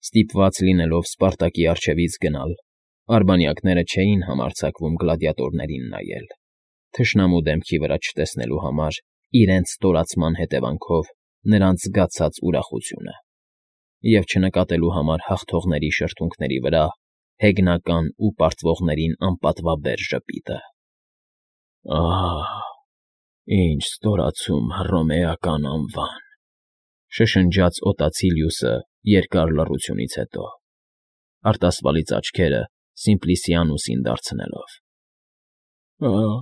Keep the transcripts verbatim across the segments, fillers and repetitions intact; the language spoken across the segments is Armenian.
Ստիպված լինելով Սպարտակի առջևից գնալ, արբանյակները չէին համարձակվում գլադիատորներին նայել, թշնամու դեմքի վրա չտեսնելու համար իրենց ստորացման հետևանքով նրանց զգացած ուրախությունը և չնկատելու համար հաղթողների շրթունքների վրա հեգնական ու պարտվողներին անպատվաբեր ժպիտը։ «Ահ, ինչ ստորացում հռոմեական անվան», շշնջաց օտացիլիուսը երկար լռությունից հետո, արտասվալից աչքերը Սիմպլիսիանուսին դարձնելով։ «Ահ,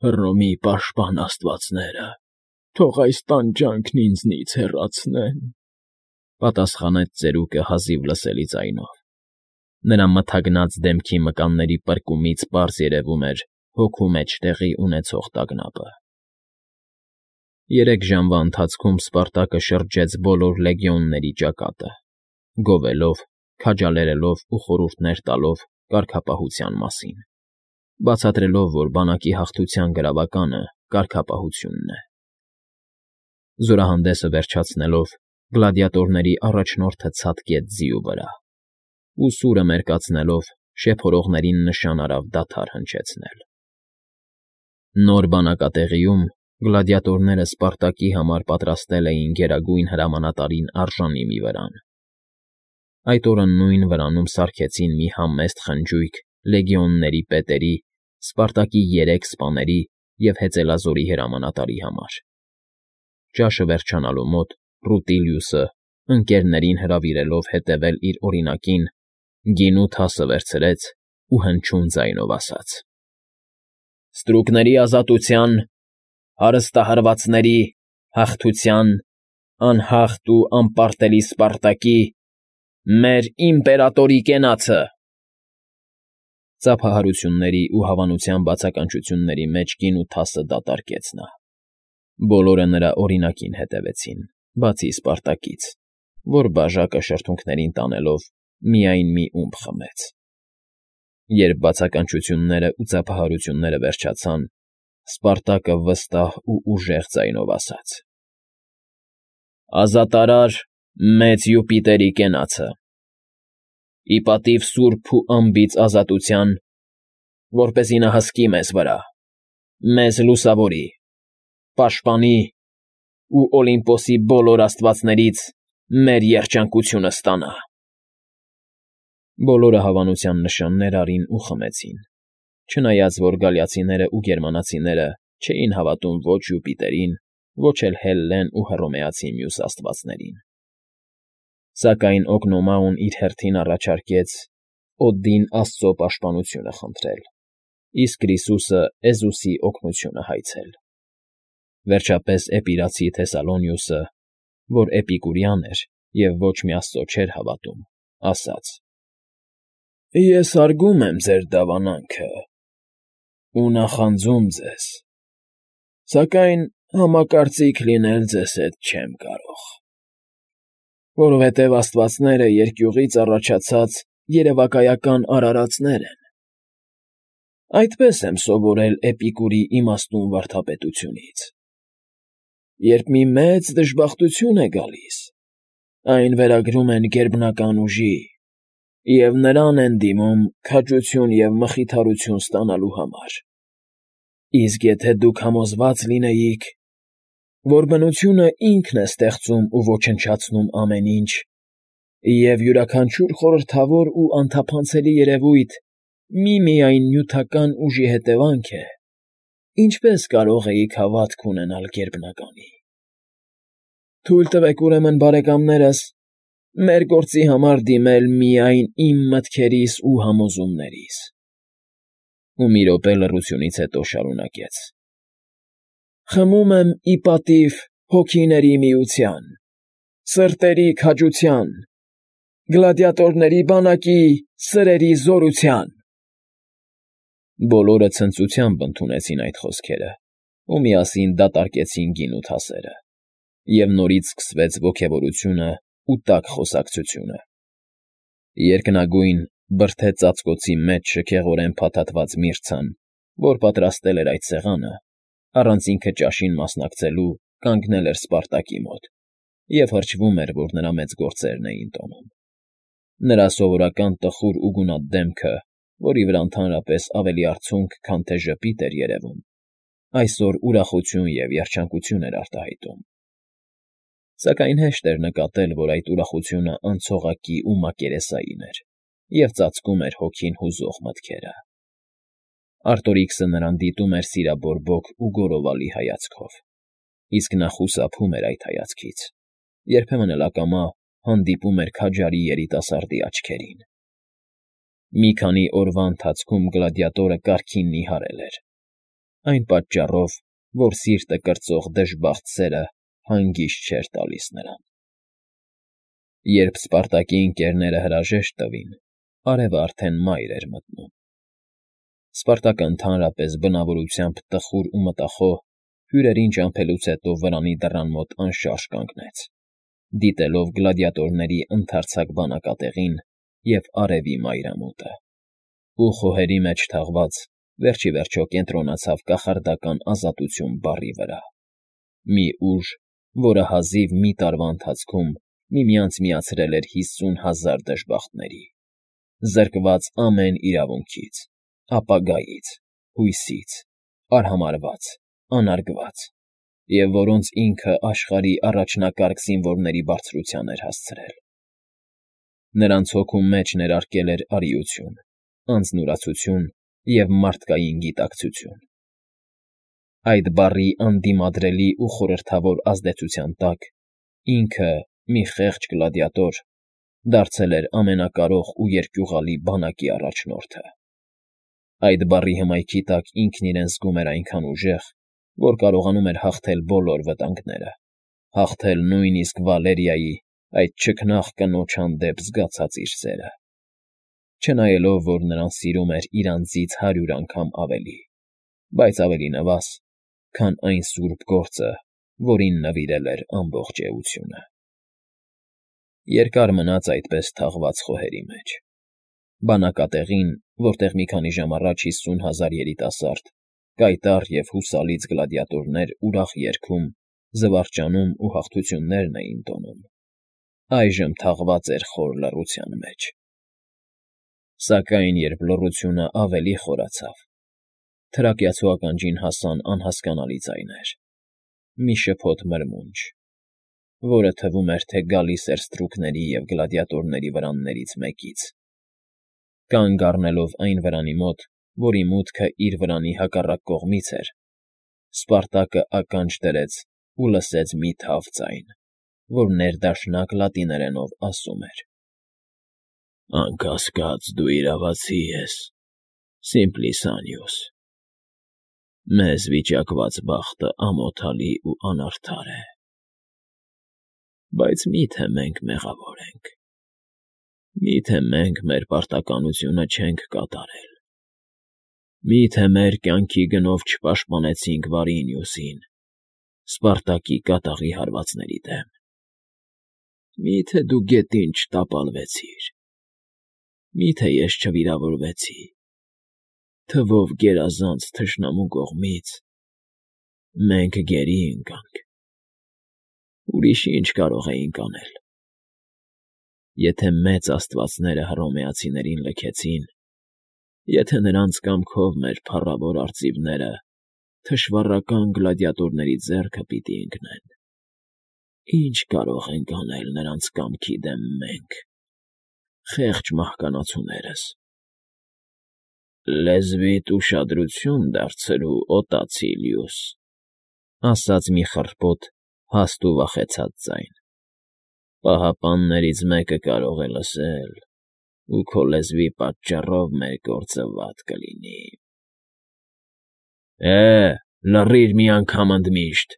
Հռոմի պաշտպան աստվածները, թող այս տանջանքն ինձնից հեռացնեն», պատասխանեց ծերուկը հազիվ լսելի ձայնով. նրա մթագնած դեմքի մկանների պրկումից պարզ երևում էր հոգու մեջ տեղի ունեցող տագնապը։ Երեք ժամվա ընթացքում Սպարտակը շրջեց բոլոր լեգիոնների ճակատը, գովելով, քաջալերելով ու խորհուրդներ տալով կարգապահության մասին, բացատրելով, որ բանակի հաղթության գրավականը կարգապահությունն է։ Զորահանդեսը վերջացնելով, գլադիատորների առաջնորդը ցատկեց ձիու վրա ու, սուրը մերկացնելով, շեփորողներին նշան արավ դադար հնչեցնել։ Նոր բանակատեղիում գլադիատորները Սպարտակի համար պատրաստել էին գերագույն հրամանատարին արժանի մի վրան։ Այդ օրը նույն վրանում սարքեցին մի համեստ խնջույք լեգիոնների պետերի, Սպարտակի երեք սպաների և հեծելազորի հրամանատարի համար։ Ճաշը վերջանալու մոտ Ռուտիլիուսը, ընկերներին հրավիրելով հետևել իր օրինակին, գինու թասը վերցրեց ու հնչյուն ձայնով ասաց. «Ստրուկների ազատության, հարստահարվածների, հաղթության, անհաղթ ու անպարտելի Սպարտակի, մեր իմպերատորի կենացը»։ Ծափահարությունների ու հավանության բացականչությունների մեջ գինու թասը դատարկեց նա։ Բոլորը նրա օրինակին հետևեցին, բացի Սպարտակից, որ բաժակը շրթունքներին տանելով միայն մի ումպ խմեց։ Երբ բացականչությունները ու ծափահարությունները վերջացան, Սպարտակը վստահ ու ուժեղ ձայնով ասաց. «Ազատարար մեծ Յուպիտերի կենացը, ի պատիվ սուրբ ու անբիծ ազատության, որպեսզի նա հսկի մեզ վրա, մեզ լուսավորի, պաշտպանի ու Օլիմպոսի բոլոր աստվածներից մեր երջանկությունը ստանա»։ Բոլորը հավանության նշաններ արին ու խմեցին, չնայած որ գալիացիներն ու գերմանացիները չէին հավատում ոչ Յուպիտերին, ոչ էլ Հելլեն ու հռոմեացի մյուս աստվածներին։ Սակայն Օգնոմաուն իր հերթին առաջարկեց Օդին աստծո պաշտպանությունը խնդրել, իսկ Ռիսուսը Էզուսի օգնությունը հայցել։ Վերջապես Էպիրացի Թեսալոնիուսը, որ էպիկուրյան էր և ոչ մի աստծո չէր հավատում, ասաց. «Ես հարգում եմ ձեր դավանանքը ու նախանձում ձեզ, սակայն համակարծիք լինել ձեզ հետ չեմ կարող, որովհետև աստվածները երկյուղից առաջացած երևակայական արարածներ են։ Այդպես եմ սովորել Էպիկուրի իմաստուն վարդապետությունից. երբ մի մեծ դժբախտություն է գալիս, այն վերագրում են գերբնական ուժի և նրան են դիմում քաջություն և մխիթարություն ստանալու համար։ Իսկ եթե դուք համոզված լինեիք, որ բնությունը ինքն է ստեղծում ու ոչնչացնում ամեն ինչ, և յուրաքանչյուր խորհրդավոր ու անթափանցելի երևույթ միմիայն նյութական ուժի հետևանք է, ինչպե՞ս կարող էիք հավատք ունենալ գերբնականի։ Թույլ տվեք, ուրեմն, բարեկամներս, մեր գործի համար դիմել միայն իմ մտքերիս ու համոզումներիս։ Ու մի րոպե լռությունից հետո շարունակեց. «Խմում եմ ի պատիվ հոգիների միության, սրտերի քաջության, գլադիատորների բանակի սրերի զորության»։ Բոլորը ցնծությամբ ընդունեցին այդ խոսքերը ու միասին դատարկեցին գինու թասերը, և նորից սկսվեց ոգևորությունը ու տաք խոսակցությունը։ Երկնագույն, բրդե ծածկոցի մեջ շքեղորեն փաթաթված միրցան, որ պատրաստել էր այդ սեղանը, առանց ինքը ճաշին մասնակցելու կանգնել էր Սպարտակի մոտ և հրճվում էր, որ նրա մեծ գործերն էին տոնում։ Նրա սովորական տխուր ու գունատ դեմքը, որի վրա ընդհանրապես ավելի արցունք, քան թե ժպիտ էր երևում, այսօր ուրախություն և երջանկություն էր արտահայտում։ Սակայն հեշտ էր նկատել, որ այդ ուրախությունը անցողակի ու մակերեսային էր և ծածկում էր հոգին հուզող մտքերը։ Արտորիքսը նրան դիտում էր սիրաբորբոք ու գոռովալի հայացքով, իսկ նա խուսափում էր այդ հայացքից, երբեմն էլ ակամա հանդիպում էր քաջարի երիտասարդի աչքերին։ Մի քանի օրվա ընթացքում գլադիատորը կարգին նիհարել էր, այն պատճառով, որ սիրտը կրծող դժբախտ սերը հանգիստ չէր տալիս նրան։ Երբ Սպարտակի ընկերները հրաժեշտ տվին, արևը արդեն մայր էր մտնում։ Սպարտակը ընդհանրապես բնավորությամբ տխուր ու մտախոհ հյուրերին ճամփելուց հետո վրանի դռան մոտ անշարժ կանգնեց, դիտելով գլադիատորների ընդարձակ բանակատեղին և արևի մայրամուտը, ու խոհերի մեջ թաղված վերջ ի վերջո կենտրոնացավ կախարդական ազատություն բառի վրա, մի ուժ, որը հազիվ մի տարվա ընթացքում միմյանց միացրել էր հիսուն հազար դժբախտների, զրկված ամեն իրավունքից, ապագայից, հույսից, արհամարհված, անարգված, և որոնց ինքը աշխարհի առաջնակարգ զինվորների բարձրության էր հասցրել։ Նրանց հոգու մեջ ներարկել էր արիություն, անձնուրացություն և մարդկային գիտակցություն։ Այդ բառի անդիմադրելի ու խորհրդավոր ազդեցության տակ ինքը՝ մի խեղճ գլադիատոր, դարձել էր ամենակարող ու երկյուղալի բանակի առաջնորդը։ Այդ բառի հմայքի տակ ինքն իրեն զգում էր այնքան ուժեղ, որ կարողանում էր հաղթել բոլոր վտանգները, հաղթել նույնիսկ Վալերիայի, այդ չքնաղ կնոջ հանդեպ զգացած իր սերը, չնայելով, որ նրան սիրում էր իր անձից հարյուր անգամ ավելի, բայց ավելի նվազ, քան այն սուրբ գործը, որին նվիրել էր ամբողջ էությունը։ Երկար մնաց այդպես թաղված խոհերի մեջ։ Բանակատեղին, որտեղ մի քանի ժամ առաջ հիսուն հազար երիտասարդ, կայտառ և հուսալից գլադիատորներ ուրախ երգում, զվարճանում ու հաղթություններն էին տոնում, այժմ թաղված էր խոր լռության մեջ։ Սակայն երբ լռությունը ավելի խորացավ, թրակյացու ականջին հասան անհասկանալի ձայներ, մի շփոթ մրմունջ, որը թվում էր, թե գալիս էր ստրուկների և գլադիատորների վրաններից մեկից։ Կանգ առնելով այն վրանի մոտ, որի մուտքը իր վրանի հակառակ կողմից էր, Սպարտակը ականջ դրեց ու լսեց մի թավ ձայն, որ ներդաշնակ լատիներենով ասում էր. «Անկասկած դու իրավացի ես, Սիմպլիսանիուս, մեզ վիճակված բախտը ամոթալի ու անարդար է, բայց մի՞թե մենք մեղավոր ենք, մի՞թե մենք մեր պարտականությունը չենք կատարել, մի՞թե մեր կյանքի գնով չպաշտպանեցինք Վարինիուսին, Սպարտակի կատաղի հարվածների դեմ, մի՞թե դու գետին չտապալվեցիր, մի՞թե ես չվիրավորվեցի, թվով գերազանց թշնամու կողմից, մենք գերի ընկանք, ուրիշ ի՞նչ կարող էինք անել։ Եթե մեծ աստվածները հռոմեացիներին լքեցին, եթե նրանց կամքով մեր փառավոր արծիվները թշվառական գլադիատորների ձեռքը պիտի ընկնեն, ի՞նչ կարող ենք անել նրանց կամքի դեմ մենք, խեղճ մահկանացուներս։ Լեզվիդ ուշադրություն դարձրու, Օտացիլիուս, ասաց մի խռպոտ, հաստ ու վախեցած ձայն, պահապաններից մեկը կարող է լսել, ու քո լեզվի պատճառով մեր գործը վատ կլինի։ ֊ Է, լռիր մի անգամ ընդմիշտ,֊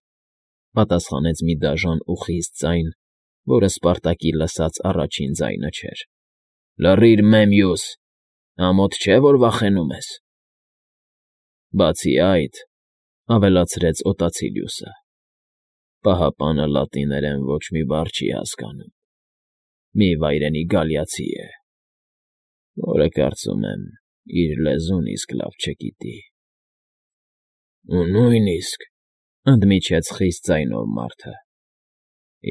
պատասխանեց մի դաժան ու խիստ ձայն, որը Սպարտակի լսած առաջին ձայնը չէր։ ֊ Լռիր, Մեմիուս, ամոթ չէ, որ վախենում ես։ ֊ Բացի այդ,֊ ավելացրեց Օտացիլիուսը,֊ պահապանը լատիներեն ոչ մի բառ չի հասկանում, մի վայրենի գալիացի է, որը, կարծում եմ, իր լեզուն իսկ լավ չգիտի։ ֊ Ու նույնիսկ,֊ ընդմիջեց խիստ ձայնով մարդը,֊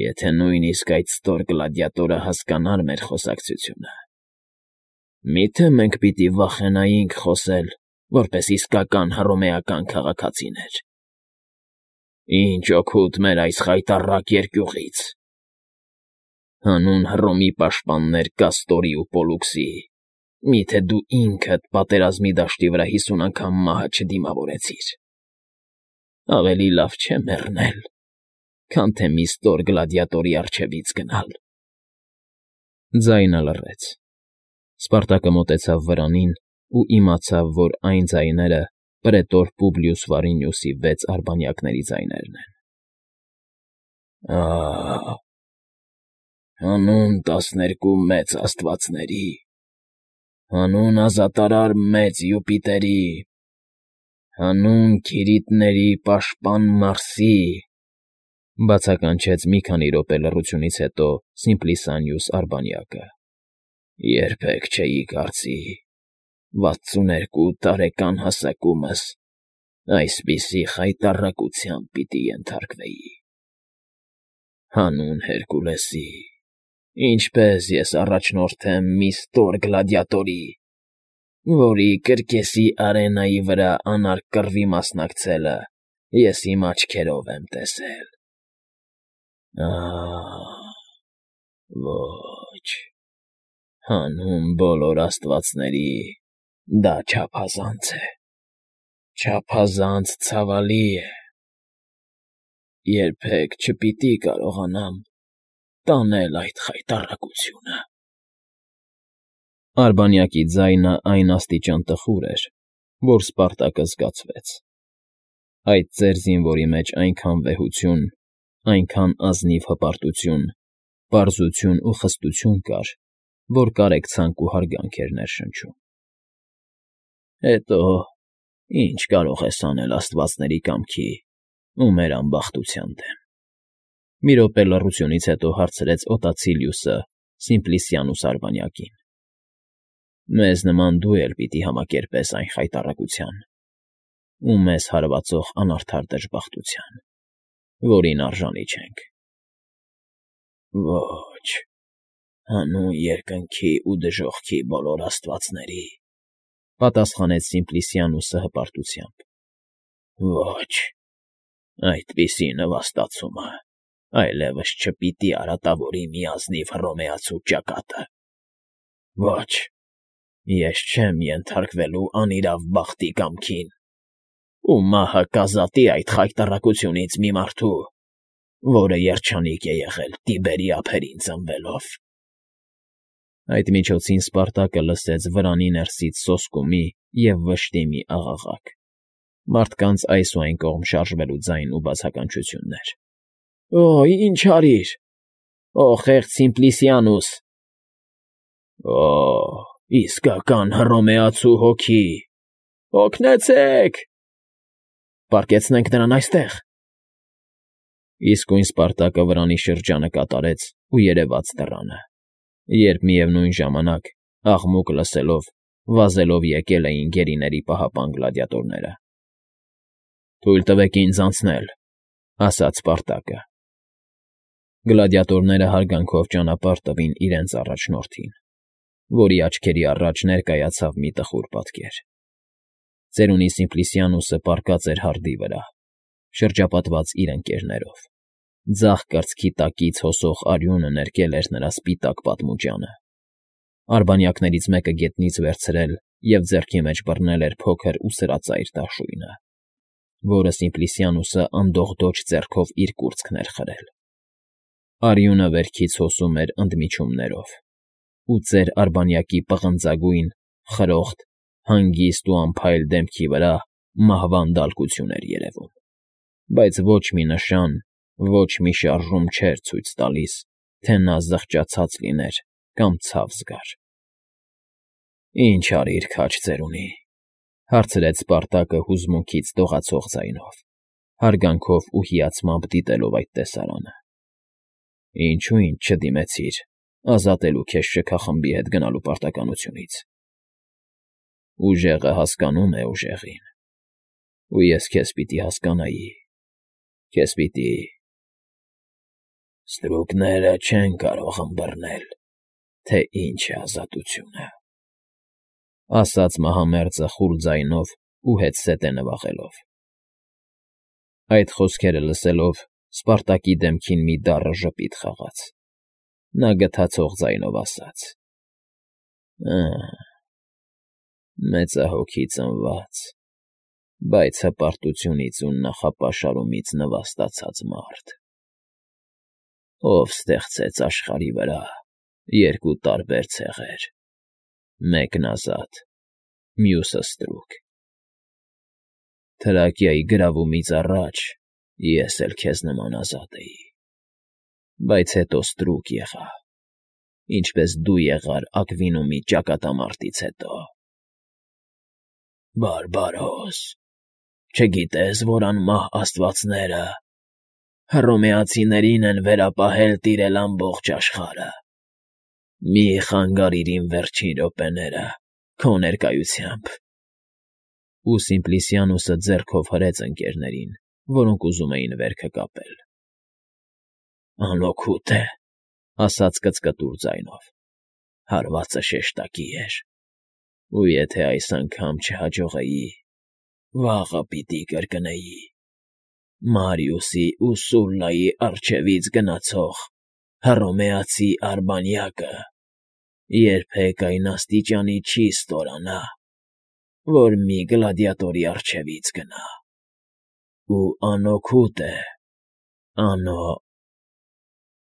եթե նույնիսկ այդ ստոր գլադիատորը հասկանար մեր խոսակցությունը, Մի՞թե մենք պիտի վախենայինք խոսել, որպես իսկական հռոմեական քաղաքացիներ։ Ինչ օգուտ մեր այս խայտառակ երկյուղից… Հանուն Հռոմի պաշտպաններ Կաստորի ու Պոլուքսի, մի՞թե դու ինքդ պատերազմի դաշտի վրա հիսուն անգամ մահը չդիմավորեցիր… Ավելի լավ չէ մեռնել, քան թե մի ստոր գլադիատորի առջևից գնալ… Ձայնը լռեց։ Սպարտակը մոտեցավ վրանին ու իմացավ, որ այն ձայները պրետոր Պուբլիուս Վարինիուսի վեց արբանյակների ձայներն են։ Ահ… Հանուն տասներկու մեծ աստվածների, հանուն ազատարար մեծ Յուպիտերի, հանուն Քիրիտների պաշտպան Մարսի…֊ բացականչեց մի քանի րոպե լռությունից հետո Սիմպլիսանիուս Արբանյակը։֊ Երբեք չէի կարծի վաթսուներկու տարեկան հասակումս այսպիսի խայտառակության պիտի ենթարկվեի… Հանուն Հերկուլեսի, ինչպե՜ս ես առաջնորդեմ մի ստոր գլադիատորի, որի կրկեսի արենայի վրա անարգ կռվի մասնակցելը ես իմ աչքերով եմ տեսել… Ահ… Ոչ… Հանուն բոլոր աստվածների, դա չափազանց է… չափազանց ցավալի է… Երբեք չպիտի կարողանամ տանել այդ խայտառակությունը… Արբանյակի ձայնը այն աստիճան տխուր էր, որ Սպարտակը զգացվեց… Այդ ծեր զինվորի մեջ այնքան վեհություն, այնքան ազնիվ հպարտություն, պարզություն ու խստություն կար, որ կարեկցանք ու հարգանք էր ներշնչում… Հետո ի՞նչ կարող ես անել աստվածների կամքի ու մեր ամբախտության դեմ…֊ մի րոպե լռությունից հետո հարցրեց Օտացիլիուսը Սիմպլիսիանուս Արբանյակին։ Մեզ նման դու էլ պիտի համակերպես այն խայտառակության ու մեզ հարվածող անարդար դժբախտության, որին արժանի չենք… Ոչ… Հանուն երկնքի ու դժոխքի բոլոր աստվածների…֊ պատասխանեց Սիմպլիսիանուսը հպարտությամբ։ Ոչ… Այդպիսի նվաստացումը այլևս չպիտի արատավորի մի ազնիվ հռոմեացու ճակատը… Ոչ… Ես չեմ ենթարկվելու անիրավ բախտի կամքին, ու մահը կազատի այդ խայտառակությունից մի մարդու, որը երջանիկ է եղել Տիբերի ափերին ծնվելով… Այդ միջոցին Սպարտակը լսեց վրանի ներսից սոսկումի և վշտի մի աղաղակ, մարդկանց այս ու այն կողմ շարժվելու ձայն ու բացականչություններ։ Օ՜, ինչ արիր… Օ՜, խեղճ Սիմպլիսիանուս… Օ՜, իսկական հռոմեացու հոգի… Օգնեցե՜ք… Պառկեցնենք նրան այստեղ… Իսկույն Սպարտակը վրանի շրջանը կատարեց ու երևաց դռանը, երբ միևնույն ժամանակ, աղմուկ լսելով, վազելով եկել էին գերիների պահապան գլադիատորները։ Թույլ տվեք ինձ անցնել…֊ ասաց Սպարտակը։ Գլադիատորները հարգանքով ճանապարհ տվին իրենց առաջնորդին, որի աչքերի առաջ ներկայացավ մի տխուր պատկեր… Ծերունի Սիմպլիսիանուսը պառկած էր հարդի վրա, շրջապատված իր ընկերներով, ձախ կրծքի տակից հոսող արյունը ներկել էր նրա սպիտակ պատմուջանը, արբանյակներից մեկը գետնից վերցրել և ձեռքի մեջ բռնել էր փոքր ու սրածայր դաշույնը, որը Սիմպլիսիանուսը անդողդոջ ձեռքով իր կուրծքն էր խրել։ Արյունը վերքից հոսում էր ընդմիջումներով, ու ծեր արբանյակի պղնձագույն, խրոխտ, հանգիստ ու անփայլ դեմքի վրա մահվան դալկություն էր երևում, բայց ոչ մի նշան, ոչ մի շարժում չէր ցույց տալիս, թե նա զղջացած լիներ կամ ցավ զգար։ Ի՞նչ արիր, քաջ ծերունի…֊ հարցրեց Սպարտակը հուզմունքից դողացող ձայնով, հարգանքով ու հիացմամբ դիտելով այդ տեսարանը։ Ինչո՞ւ ինձ չդիմեցիր ազատելու քեզ շքախմբի հետ գնալու պարտականությունից… Ուժեղը հասկանում է ուժեղին, ու ես քեզ պիտի հասկանայի, քեզ պիտի… Ստրուկները չեն կարող ըմբռնել, թե ինչ է ազատությունը… Ասաց մահամերձը խուլ ձայնով ու հետզհետե նվաղելով։ Այդ խոսքերը լսելով Սպարտակի դեմքին մի դառը ժպիտ խաղաց, նա գթացող ձայնով ասաց. «Ա՜, մեծահոգի ծնված, բայց հպարտությունից ու նախապաշարումից նվաստացած մարդ, ով ստեղծեց աշխարհի վրա երկու տարբեր ցեղեր, մեկն ազատ, մյուսը ստրուկ։ Թրակիայի գրավումից առաջ ես էլ քեզ նման ազատ էի, բայց հետո ստրուկ եղա, ինչպես դու եղար Ակվինոմի ճակատամարտից հետո։ Բարբարոս, չգիտե՞ս, որ անմահ աստվածները Հռոմեացիներին են վերապահել տիրել ամբողջ աշխարհը։ Մի՛ խանգարիր իմ վերջին րոպեները քո ներկայությամբ»։ Ու Սիմպլիսիանոսը ձեռքով հրեց ընկներներին, որոնք ուզում էին վերքը կապել։ «Անօգուտ է,֊ ասաց կծկտուր ձայնով,֊ հարվածը շեշտակի էր, ու եթե այս անգամ չհաջողեի, վաղը պիտի կրկնեի. Մարիուսի ու Սուլլայի առջևից գնացող հռոմեացի արբանյակը երբեք այն աստիճանի չի ստորանա, որ մի գլադիատորի առջևից գնա։ Ու անօգուտ է, անօ…»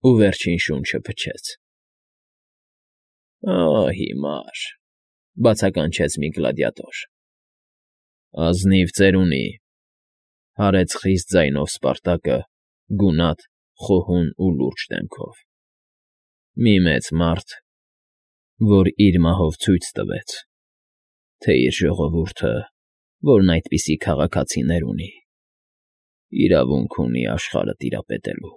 Ու վերջին շունչը փչեց։ «Ա՜, հիմար,֊ բացականչեց մի գլադիատոր։ «Ազնիվ ծերունի,֊ հարեց խիստ ձայնով Սպարտակը, գունատ, խոհուն ու լուրջ դեմքով,֊ մի մեծ մարդ, որ իր մահով ցույց տվեց, թե իր ժողովուրդը, որն այդպիսի քաղաքացիներ ունի, իրավունք ունի աշխարհը տիրապետելու։